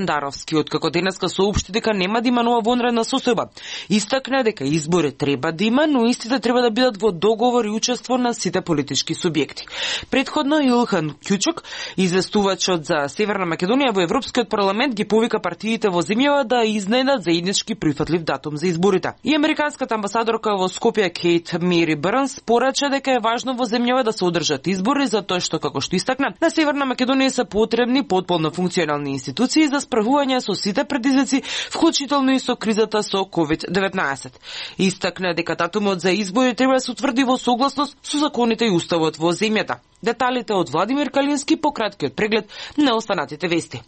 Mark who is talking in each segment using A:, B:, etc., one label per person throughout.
A: Даровски, откако денеска соопшти дека нема да има нова вонредна состојба. Истакна дека избори треба да има, но истите треба да бидат во договор и учество на сите политички субјекти. Предходно Илхан Кјучук, известувачот за Северна Македонија во Европскиот парламент, ги повика партиите во земјава да изнајдат заеднички прифатлив датум за изборите. И американската амбасадорка во Скопје Кейт Мери Брнс порача дека е важно во земјава да се одржат избори, затоа што, како што истакна, на Северна Македонија се потребни потполно функционални институции за справување со сите предизвици, вклучително и со кризата со COVID-19. Истакна дека датумот за избори треба да се утврди во согласност со законите и уставот во земјата. Деталите од Владимир Калински по краткиот преглед на останатите вести.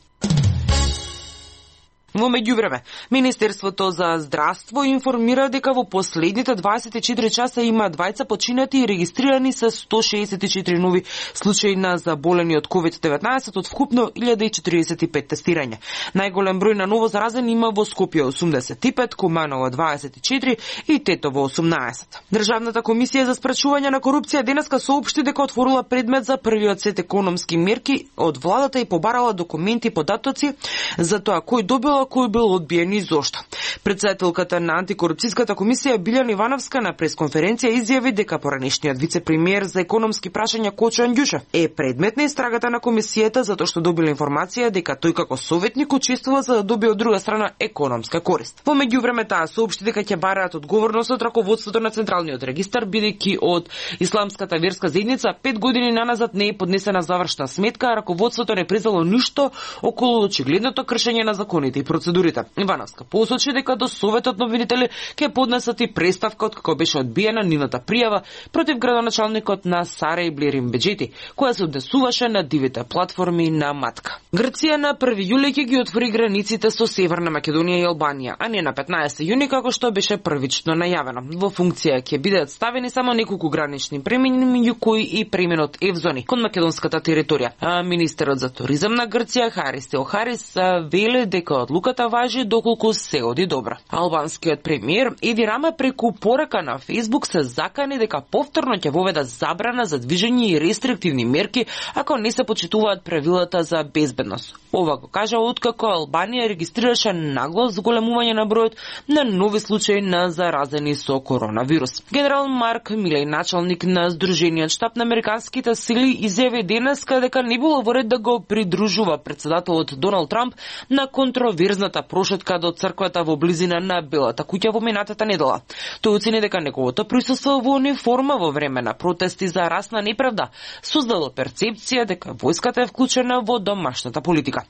A: Во меѓувреме, Министерството за здравство информира дека во последните 24 часа има 20 починати и регистрирани се 164 нови случаи на заболени од COVID-19 од вкупно 1045 тестирања. Најголем број на ново заразени има во Скопје 85, Куманово 24 и Тетово 18. Државната комисија за спречување на корупција денеска соопшти дека отворила предмет за првиот сет економски мерки од владата и побарала документи и податоци за тоа кој добил, кој бил одбиен и зошто. Председателката на антикорупцијската комисија Билјана Ивановска на пресконференција изјави дека поранешниот вице-премиер за економски прашања Кочо Андјушев е предмет на истрагата на комисијата затоа што добил информација дека тој како советник учествува за да добие од друга страна економска корист. Во меѓувреме таа соопшти дека ќе бараат одговорност од раководството на Централниот регистар, бидејќи од исламската верска заедница 5 години наназад не е поднесена завршна сметка, а раководството не признало ништо околу очигледното кршење на законите и процедурите. Ивановска посочи дека до Советот на обвинители ќе поднесат и преставка откако беше одбиена нивната пријава против градоначалникот на Сарај Ерим Беџети, која се однесуваше на дивите платформи на Матка. Грција на 1 јули ќе ги отвори границите со Северна Македонија и Албанија, а не на 15 јуни како што беше првично најавено. Во функција ќе бидат ставени само неколку гранични премини, меѓу кои и преминот Евзони кон македонската територија. А министерот за туризам на Грција Харис Теохарис вели дека одлуката важи доколку се оди добро. Албанскиот премиер Еди Рама преку порака на Facebook се закани дека повторно ќе воведа забрана за движење и рестриктивни мерки ако не се почитуваат правилата за безбедност. Ова го кажа откако Албанија регистрираше нагло зголемување на бројот на нови случаи на заразени со коронавирус. Генерал Марк Милеј, началник на Сдружениот штаб на американските сили, изјави денеска дека не било во ред да го придружува председателот Доналд Трамп на контроверзната прошетка до црквата во близина на Белата куќа во минатата недела. Тој оцени дека неговото присуство во униформа во време на протести за расна неправда создало перцепција дека војската е вклучена во домашната политика.